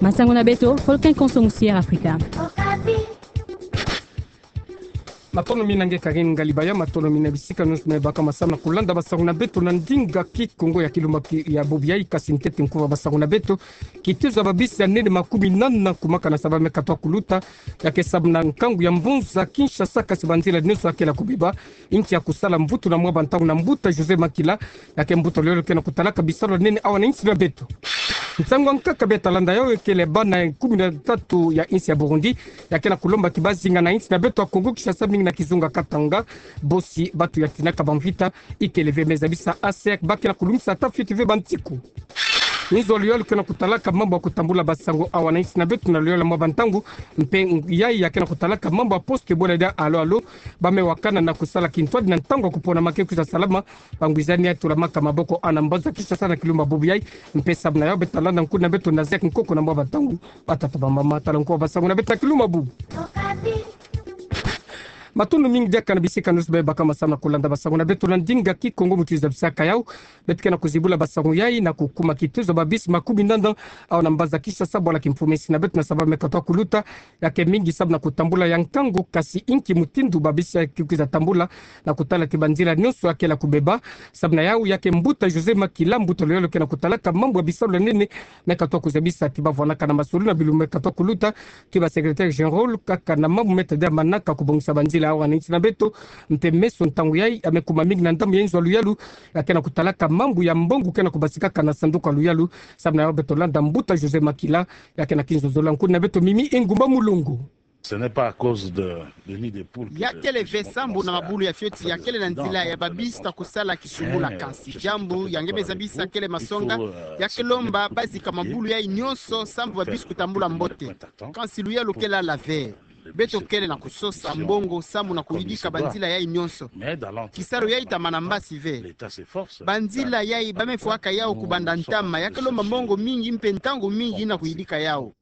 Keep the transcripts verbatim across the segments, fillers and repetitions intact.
Masango na beto, Volcan Konso Musière Afrika. Matondo mingi na nge Karine Ngalibaya, matondo mingi na bisika nyonso me baka masamu na kulanda basango na beto na ndinga Kikongo ya kilumbu ki-, ya bubu yayi. Kasi ntete nkufi ya basango na beto, kitezo ya babisi ya nene makumi nana kumaka na saba me katwa kuluta, ya ke samu na nkangu ya mbonza Kinshasa, kasi banzila nyonso ya ke na kubeba, inki ya kusala mvutu na mwa bantangu na mbuta José Makila, ya ke mbuta lolo ke na kutalaka bisalu ya nene awa na insi na beto. Nsangu ya nkaka beta landa yayi kele bana kumi na tatu ya insi ya Burundi, ya ke na kulomba ki bazinga na insi na beto ya Kongo Kinshasa, mingi na kizunga Katanga, bosi batu ya tinaka bamvita, ikele ve me zabisa A C R, ba ke na kulungisa ata fioti ve bantiku. Inzo ya luyalu ke na kutalaka mambu ya kutambula basango awa na insi na beto na luyalu mwa bantangu, mpe yayi ya ke na kutalaka mambu ya poste bola dia alo alo, ba me wakana na kusala kintwadi na ntangu ya kupona ma ke kwiza salama, bangwizani ya tulamaka maboko awa na mbanza Kinshasa na kilumbu bubu yayi, mpe samu na yawu beta landa nkuna beto na Zek Nkoko na mwa bantangu, batata bamama, tala nkufi ya basango na beto na kilumbu bubu. Matondo mingi diaka na bisika nyonso me baka masamu na kulanda basango na beto na ndinga Kikongo, mutu zabisaka yawu, beto ke na kuzibula basango yayi na kukuma kitezo ya babisi makumi nana awa na mbanza Kinshasa, bwala kimfumu ya insi na beto na saba me katwa kuluta, ya ke mingi samu na kutambula ya nkangu, kasi inki mutindu babisi ya ke kwiza tambula na kutala ti banzila nyonso ya ke na kubeba. Samu na yawu ya ke mbuta José Makila, mbuta lolo ke na kutalaka mambu ya bisalu ya nene, me katwa kuzabisa ti bavwanaka na masolulu na bilumbu me katwa kuluta, ti ba secrétaire général kaka na mambu me tadila manaka kubongisa banzila awa na insi na beto, mpe meso ntangu yayi ya me kuma mingi na ndambu ya inzo ya luyalu ya ke na kutalaka mambu ya mbongo ke na kubasikaka na sanduku ya luyalu. Samu na yawu beto landa mbuta José Makila, ya ke na kinzonzolo ya nkuna beto Mimi Engumba Mulongo. Ce n'est pas à cause de, de nid de poule que... Ya kele ve sambu na mabulu ya fioti ya kele na nzila ya babisi ta kusala kisumbula, kansi diambu ya nge me zabisa kele masonga, ya ke lomba bazika mabulu yayi nyonso sambu babisi kutambula mbote. Kansi luyalu ke lala ve. Beto kele na kusosa mbongo sambu na kuyidika banzila yayi nyonso. Kisalu yayi ta mana mbasi ve. Banzila yayi ba me fwaka yawu kubanda ntama, ya ke lomba mbongo mingi mpe ntangu mingi na kuyidika yawu.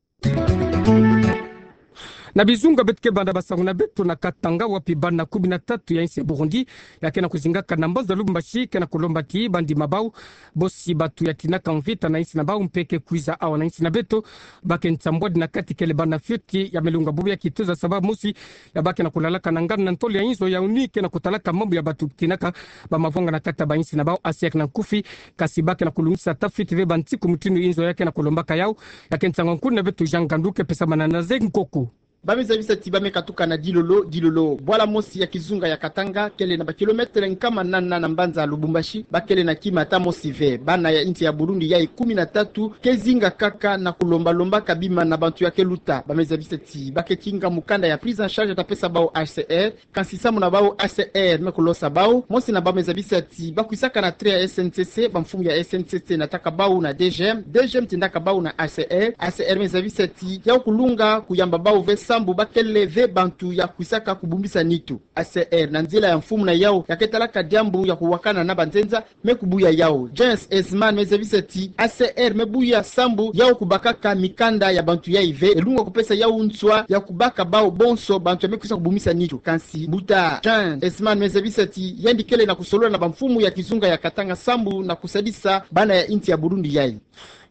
Na bizunga beto ke banda basango na beto na Katanga, wapi bana kumi na tatu ya insi ya Burundi ya ke na kuzingaka na mbanza Lubumbashi ke na kulomba ti bandima bawu, bosi batu ya tinaka mvita na insi na bawu mpe ke kwiza awa na insi na beto, ba ke nsambwadi na kati kele bana fioti ya me lunga bubu ya kitezo ya saba mosi ya ba ke na kulalaka na nganda na ntolo ya inzo ya ONU ke na kutalaka mambu ya batu tinaka bamavwanga na kati ya bainsi na bawu, A C R na nkufi, kasi ba ke na kulungisa ata fioti ve bantiku mutindu inzo ya ke na kulombaka yawu. Ya ke nsangu ya nkuna beto Jean Ngandu ke pesamana na Zek Nkoko. Ba me zabisa ti ba me katuka na dilolo dilolo. Bwala mosi ya kizunga ya Katanga kele na ba kilomètre nkama nana na mbanza Lubumbashi, ba kele na kima ata mosi ve. Bana ya insi ya Burundi yayi kumi na tatu ke zinga kaka na kulomba lombaka bima na bantu ya ke luta. Ba me zabisa ti ba ke tinga mukanda ya prise en charge ta pesa bawu H C R, kansi sambu na bawu A C R me kulosa bawu, mosi na bawu me zabisa ti ba kwisaka na train ya S N C C, bamfumu ya S N C C nataka bawu na D G M, D G M tindaka bawu na A C R, A C R me zabisa ti yawu kulunga kuyamba bawu ve sambu ba kele ve bantu ya kwisaka kubumbisa nitu. A C R na nzila ya mfumu na yawu ya ke talaka diambu ya kuwakana na banzenza, me kubuya yawu. James Esman me zabisa ti A C R me buya sambu yawu kubakaka mikanda ya bantu yayi ve, elunga kupesa yawu nswa ya kubaka bawu bonso bantu ya me kwisa kubumisa nitu. Kansi mbuta James Esman me zabisa ti yandi kele na kusolola na bamfumu ya kizunga ya Katanga sambu na kusadisa bana ya insi ya Burundi yayi.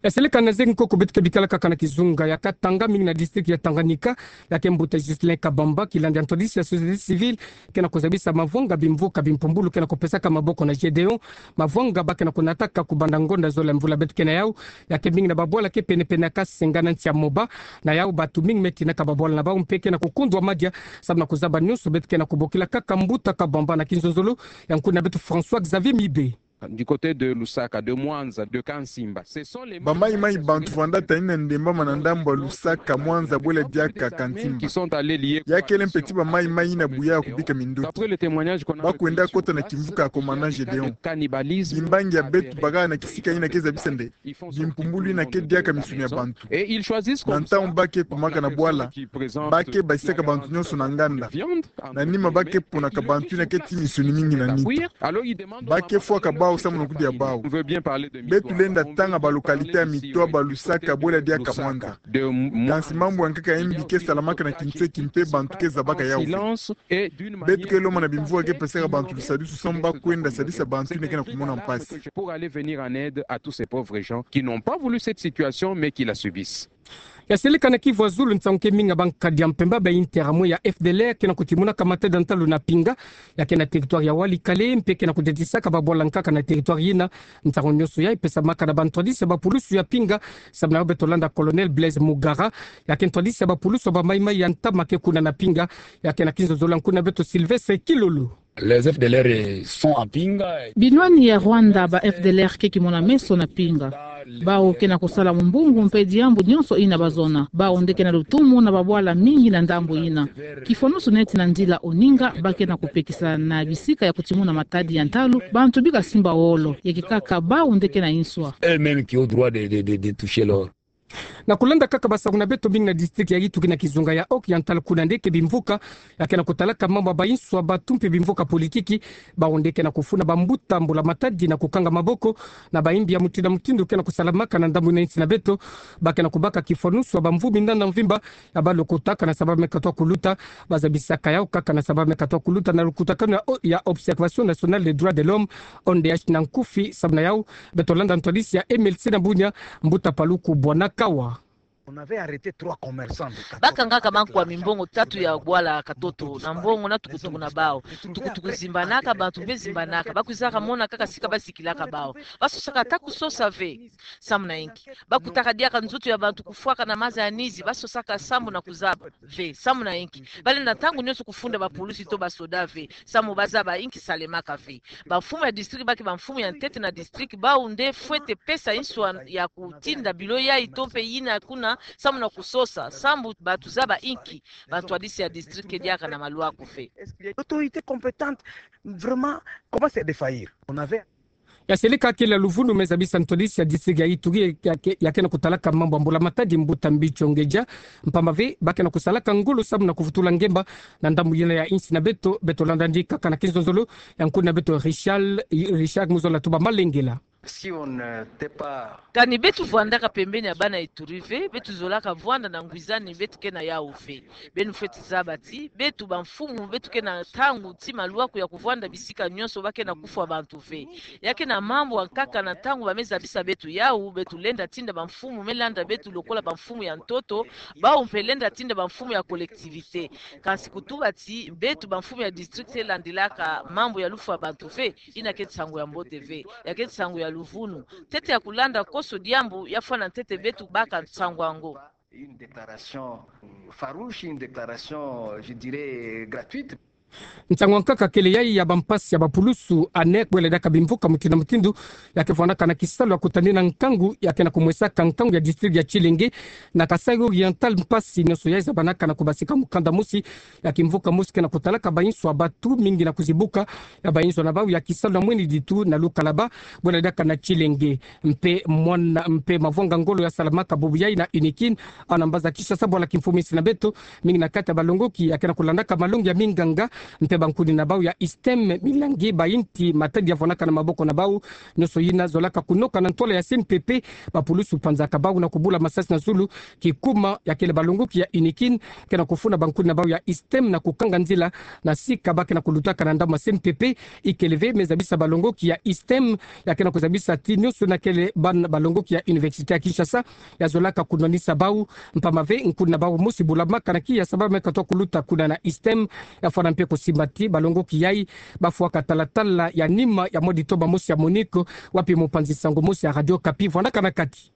Ya seleka na Zek Nkoko, beto ke bikala kaka na kizunga ya Katanga, mingi na district ya Tanganyika, ya ke mbuta Justin Kabamba, kilandi ya ntwadisi ya société civile, ke na kuzabisa mavwanga bimvuka bimpumbulu ke na kupesaka maboko na Gédéon, mavwanga ba ke na kunataka kubanda ngonda zole mvula beto ke na yawu, ya ke mingi na babwala ke penepene ya kasenga na nsi ya Moba. Na yawu batu mingi me tinaka babwala na bawu mpe ke na kukundwa madia, sambu na kuzaba nyonso beto ke na kubokila kaka mbuta Kabamba na kinzonzolo ya nkuna beto François Xavier Mibe. Du côté de Lusaka, de Mwanza, de Kansimba. Ce sont les... Bamaimai bantu vwanda tani na ndemba mana ndambu ya Lusaka, Mwanza, bwela diaka Kansimba. Ya kele mpe ti bamaimai yina buya ya kubika mindoki. Ba kwenda kota na kimvuka ya commandant Gédéon. Bimbangi ya beto baka na kisika yina ke zabisa nde bimpumbulu yina ke diaka misuni ya bantu. Na ntangu ba ke kumaka na bwala, ba ke basisaka bantu nyonso na nganda. Na nima ba ke ponaka bantu yina ke ti misuni mingi na nitu. Ba ke fwaka bawu samu na kudia bawu. Beto lenda tanga ba localité ya Mitwaba, Lusaka, bwela diaka Mwanza. Kansi mambu ya nkaka ya mbi ke salamaka na kinseki mpe bantu ke zabaka yawu. Beto ke lomba na bimvuka ke pesaka bantu lusadisu samu ba kwenda sadisa bantu yina ke na kumona mpasi. Pour aller venir en aide à tous ces pauvres gens qui n'ont pas voulu cette situation, mais qui la subissent. Ya seleka na Kivu ya zulu, nsangu ke mingi ya bankadi ya mpemba ba Interahamwe ya F D L R ke na kutimunaka matadi ya ntalu na Pinga, ya ke na territoire ya Walikale, mpe ke na kudetisaka babwala nkaka na territoire yina. Nsangu nyonso yayi pesamaka na bantwadisi ya bapulusu ya Pinga, samu na yo beto landa Colonel Blaise Mugara, ya ke ntwadisi ya bapulusu ya ba Maï-Maï ya ntama ke kuna na Pinga, ya ke na kinzonzolo ya nkuna beto Sylvestre Kilolo. Les F D L R sont à Pinga. Binwani ya Rwanda, ba F D L R ke kimona meso na Pinga. Bawu ke na kusala mumbungu mpe diambu nyonso yina bazona. Bawu nde ke na lutumu na babwala mingi na ndambu yina. Kifonusu neti na nzila Oninga, ba ke na kupekisa na bisika ya kutimuna matadi ya ntalu, bantu bika simba wolo. Ya ke kaka bawu nde ke na inswa. Eux-mêmes qui ont droit de, de, de, de toucher l'or. Na kulanda kaka basangu na beto, mingi na district ya Ituri na kizunga ya Oriental kuna nde ke bimvuka ya ke na kutalaka mambu ya bainswa, batu mpe bimvuka politiki, bawu nde ke na kufuna bambuta mbula matadi na kukanga maboko na bayimbi ya mutindu na mutindu ke na kusalamaka na ndambu na insi na beto. Ba ke na kubaka kifonusu ya bamvumi na mvimba ya balokotaka na sababu me katwa kuluta, bazabisaka yawu kaka na sababu me katwa kuluta na lukutakanu ya o-, ya Observation Nationale des Droits de l'Homme, O N D H na nkufi. Samu na yawu, beto landa ntwadisi ya M L C na Bunia, Mbuta Paluku Bwanakawa. On avait arrêté trois commerçants de katoto. Bakangaka bankwa mimbongo tatu ya bwala katoto, na mbongo na tukutuku na bawu. Tukutuku zimbanaka, bantu mpe zimbanaka, bakwizaka mona kaka sika bazikilaka bawu. Basosaka ata kusosa ve. Samu na inki? Bakutaka diaka nzoto ya bantu kufwaka na maza ya nizi, basosaka sambu na kuzaba ve. Samu na inki? Balenda ntangu nyonso kufunda bapulusi to basoda ve, samu bazaba inki salemaka ve. Bamfumu ya district ba ke bamfumu ya ntete na district, bawu nde fwete pesa inswa ya kutinda bilo yayi to mpe yina kuna, samu na kusosa, sambu bantu zaba inki bantwadisi ya district ke diaka na malwaku ve. L'autorité compétente, vraiment, commence à défaillir. On avait Ya seleka kele ya luvunu me zabisa ntwadisi ya district ya Ituri ya ke, ya ke na kutalaka mambu ya mbula matadi, Mbuta Mbicho Ngeja, mpamba ve ba ke na kusalaka ngolo samu na kuvutula ngemba na ndambu yina ya insi na beto. Beto landa ndi kaka na kinzonzolo ya nkuna beto Richard, Richard Muzola Tuba Malengela. Si on n'était pas Kani beto vwandaka pembeni ya bana Ituri ve, beto zolaka vwanda na ngwizani beto ke na yawu ve. Beno fwete zaba ti beto bamfumu, beto ke na ntangu ti malwaku ya kuvwanda bisika nyonso ba ke na kufwa bantu ve. Ya ke na mambu ya nkaka, na ntangu ba me zabisa beto yawu, beto lenda tinda bamfumu me landa beto lokola bamfumu ya ntoto, bawu mpe lenda tinda bamfumu ya collectivité. Kansi kutuba ti beto bamfumu ya district te landilaka mambu ya lufwa bantu ve, yina ke nsangu ya mbote ve, ya ke nsangu ya luvunu. Ntete ya kulanda koso diambu ya fwana ntete beto baka nsangu yango. Une déclaration farouche, une déclaration, je dirais, gratuite. Nsangu ya nkaka kele yayi ya bampasi ya bapulusu, ANR, bwele diaka bimvuka mutindu na mutindu, ya ke vwandaka na kisalu ya kutanina nkangu, ya ke na kumwesaka nkangu ya district ya Tchilenge na Kasaï Oriental, mpasi nyonso yayi zabanaka na kubasika mukanda mosi ya kimvuka mosi ke na kutalaka bainswa, batu mingi na kuzibuka ya bainswa na bawu ya kisalu na mweni ditu na Lukalaba, bwele diaka na Tchilenge. Mpe mwana, mpe mavwanga ngolo ya salamaka bubu yayi na UNIKIN, awu na mbanza Kinshasa, bwala kimfumu insi na beto, mingi na kati ya balongoki ya ke na kulandaka malongi ya minganga, mpe bankuni na bawu ya ISTEM, milangi, bayinti, matadi ya vwandaka na maboko na bawu, nyonso yina zolaka kunoka na ntwala ya C N P P, bapulusu panzaka bawu na kubula masasi na zulu, kikuma ya kele balongoki ya UNIKIN ke na kufuna bankuni na bawu ya ISTEM na kukanga nzila na sika ba ke na kulutaka na ndambu ya C N P P. Ikele ve me zabisa balongoki ya ISTEM, ya ke na kuzabisa ti nyonso na kele bana balongoki ya Université ya Kinshasa ya zolaka kunwanisa bawu, mpamba ve nkuni na bawu mosi bulamaka na kiya sababu me katwa kuluta kuna na ISTEM, ya fwana mpe kusimba ti balongoki yayi ba fwaka talatala ya nima ya mwa ditoma mosi ya MONUC, wapi mopanzi nsangu mosi ya Radio Okapi vwandaka na kati.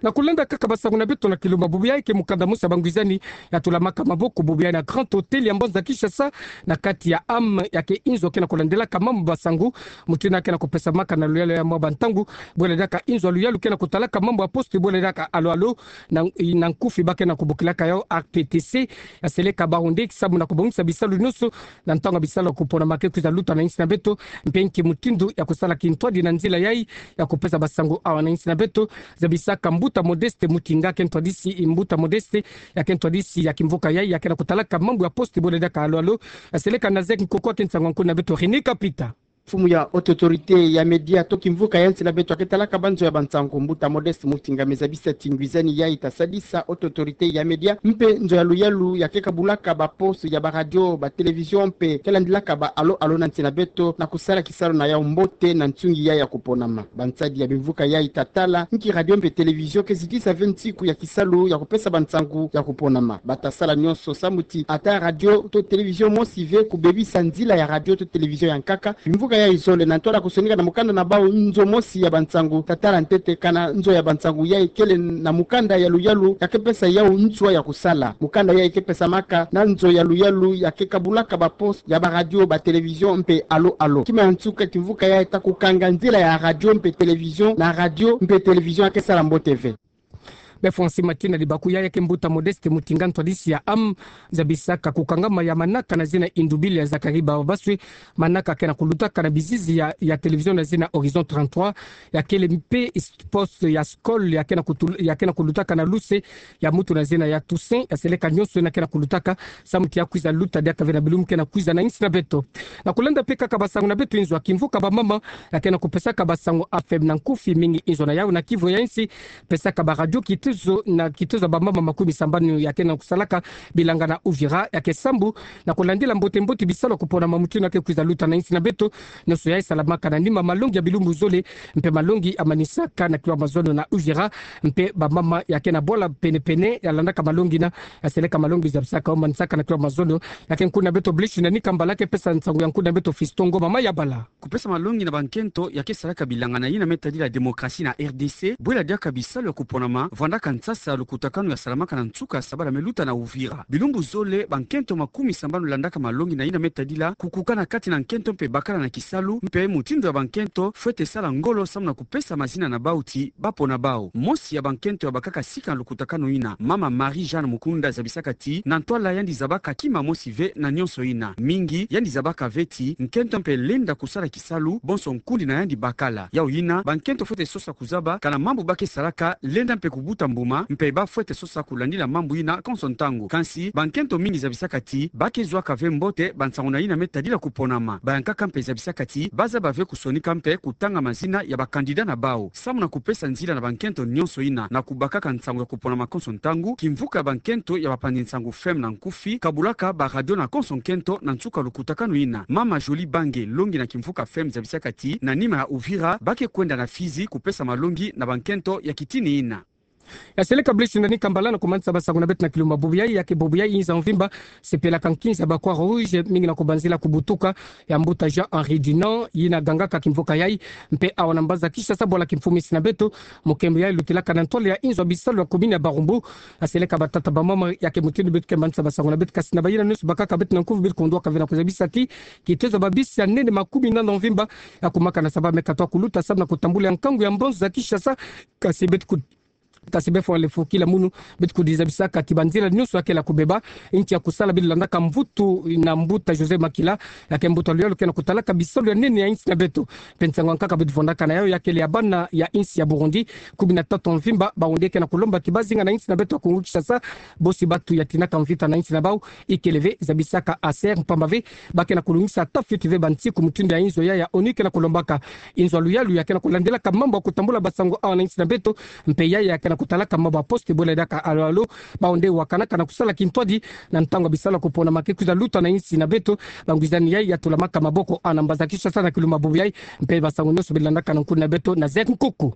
Na kulanda kaka basangu na beto na Kilumba, bubu yayi ke mukanda mosi ya bangwizani ya tulamaka maboko bubu yayi na Grand Hôtel ya mbanza Kinshasa, na kati ya âme, ya ke inzo ke na kulandilaka mambu ya basangu, mutindu ke na kupesamaka na luyalu ya mwa bantangu, bwele diaka inzo ya luyalu ke na kutalaka mambu ya poste, bwele diaka alo alo, na, na nkufi ba ke na kubokilaka yawu R T T C, ya seleka bawu nde samu na kubongisa bisalu nyonso, na ntangu ya bisalu ya kupona ma ke kwiza luta na insi na beto, mpe nki mutindu ya kusala kintwadi na nzila yayi ya kupesa basangu awa na insi na beto, zabisaka Mbuta Modeste Mutinga, ke ntwadisi, Mbuta Modeste, ya ke ntwadisi ya kimvuka yayi, ya ke na kutalaka mambu ya poste, bwele diaka alo alo, ya seleka na Zek Nkoko, ke nsangu ya nkuni na beto René Kapita. Mfumu ya Haute Autorité ya Média to kimvuka ya nsi na beto ya ke talaka ba nzo ya bansangu, Mbuta Modeste Mutinga, me zabisa ti ngwizani yayi ta sadisa Haute Autorité ya Média mpe nzo ya luyalu ya ke kabulaka ba poste ya ba radio, ba télévision mpe ke landilaka ba alo-alo na nsi na beto na kusala kisalu na yau mbote na nsungi yayi ya kuponama. Bansadi ya bimvuka yayi ta tala nki radio mpe télévision ke zitisa ve nsiku ya kisalu ya kupesa bansangu ya kuponama. Ba ta sala nyonso samu ti ata radio to télévision mosi ve kubebisa nzila ya radio to télévision ya nkaka. Bimvuka yayi zole na ntwala kusonika na mukanda na bau nzo mosi ya bansangu ta tala ntete kana nzo ya bansangu yayi kele na mukanda ya luyalu ya ke pesa yau nswa ya kusala. Mukanda yayi ke pesamaka na nzo ya luyalu ya ke kabulaka ba poste ya ba radio, ba télévision mpe alo-alo. Kima ya nsuka, kimvuka yayi ta kukanga nzila ya radio mpe télévision na radio mpe télévision ya ke sala mbote ve. Be fwansi matina libaku yayi ke Mbuta Modeste Mutinga, ntwadisi ya âme, zabisaka kukangama ya manaka na zina Indubili ya Zacharie Babaswe, manaka ke na kulutaka na bizizi ya, ya télévision na zina Horizon trente-trois, ya kele mpe s-, poste ya scole ya ke na kutul-, ya ke na kulutaka na luse ya mutu na zina ya Toussaint, ya seleka nyonso yina ke na kulutaka samu ti ya kwiza luta diaka ve na bilumbu ke na kwiza na nsi na beto. Na kulanda mpe kaka basangu na beto, inzo ya kimvuka bamama ya ke na kupesaka basangu A F M na nkufi mingi inzo na yau na kivo ya nsi, pesaka ba radio kitezo na kitezo ya bamama makumi sambanu ya ke na kusalaka bilanga na Uvira, ya ke sambu na kulandila mbote-mbote bisalu ya kuponama mutindu ya ke kwiza luta na nsi na beto. Nyonso yayi salamaka na nima malongi ya bilumbu zole mpe malongi ya manisaka na kilo ya mazono na Uvira, mpe bamama ya ke na bwala pene-pene ya landaka malongi yina, ya seleka malongi zabisaka yo manisaka na kilo ya mazono. Ya ke nkuna beto Blaise Nani Kambala ke pesa nsangu ya nkuna beto Fiston Ngoma Mayabala. Kupesa malongi na bankento ya ke salaka bilanga na yina me tadila démocratie na R D C, bwela diaka bisalu ya kuponama, vwandaka nsasa lukutakanu ya salamaka na nsuka ya sabala me luta na Uvira. Bilumbu zole, bankento makumi sambanu landaka malongi na yina me tadila kukukana kati na nkento mpe bakala na kisalu, mpe mutindu ya bankento fwete sala ngolo samu na kupesa mazina na bau ti ba pona bau. Mosi ya bankento ya bakaka sika na lukutakanu yina, mama Marie-Jeanne Mukunda, zabisaka ti na ntwala yandi zabaka kima mosi ve na nyonso yina. Mingi yandi zabaka ve ti nkento mpe lenda kusala kisalu, bonso nkundi na yandi bakala. Yau yina, bankento fwete sosa kuzaba kana mambu ba ke salaka lenda mpe kubuta mbuma, mpe ba fwete sosa kulandila mambu yina konso ntangu. Kansi, bankento mingi zabisaka ti ba ke zwaka ve mbote bansangu na yina me tadila kuponama. Bayankaka mpe zabisaka ti ba zaba ve kusonika mpe kutanga mazina ya ba candidat na bau. Samu na kupesa nzila na bankento nyonso yina na kubakaka nsangu ya kuponama konso ntangu, kimvuka ya bankento ya bapanzi nsangu F M na nkufi kabulaka ba radio na konso nkento na nsuka lukutakanu yina. Mama Jolie Bange, longi na kimvuka F M, zabisaka ti na nima ya Uvira, ba ke kwenda na Fizi kupesa malongi na bankento ya kitini yina. Ya seleka Blaise Nani Kambala na kumanisa basangu na beto na kilumbu bubu yayi. Ya ke bubu yayi, inza mvimba sepelaka nkinza ya ba Croix Rouge mingi na kubanzila kubutuka ya mbuta Jean-Henri Dunant, yina gangaka kimvuka yayi mpe awa na mbanza Kinshasa, bwala kimfumu ya nsi na beto. Mukembo yayi lutilaka na ntwala ya inzo ya bisalu ya commune ya Barumbu. Ya seleka batata bamama, ya ke mutindu beto ke manisa basangu na beto, kasi na bayina nyonso bakaka beto na nkufi, beto kundwaka ve na kuzabisa ti kitezo ya babisi ya nene makumi nana mvimba ya kumaka na saba me katwa kuluta samu na kutambula ya nkangu ya mbanza Kinshasa. Kasi beto ku- Kasi be fwa lefukila munu, beto kudizabisaka ti banzila nyonso ya kele ya kubeba, nki ya kusala beto landaka mvutu na mbuta Joseph Makila, ya ke mbuta luyalu ke na kutalaka bisalu ya nene ya insi na beto. Mpe nsangu ya nkaka beto vwandaka na yau ya kele ya bana ya insi ya Burundi kumi na tatu mvimba, Barundi ke na kulomba ti ba zinga na insi na beto ya Kongo Kinshasa, bosi batu ya tinaka mvita na insi na bau, ikele ve zabisaka A C R, mpamba ve ba ke na kulungisa ata fioti ve bansiku mutindu ya inzo yayi ya ONU ke na kulombaka. Inzo ya luyalu ya ke na kulandilaka mambu ya kutambula basangu awa na insi na beto, mpe yayi ya ke na kutalaka mambu ya poste, bwela diaka alo-alo, Barundi wakanaka na kusala kintwadi na ntangu ya bisalu ya kuponama ke kwiza luta na insi na beto. Bangwizani yayi ya tulamaka maboko awa na mbanza Kinshasa na kilumbu bubu yayi, mpe basangu nyonso beto landaka na nkundi na beto na Zek Nkuku.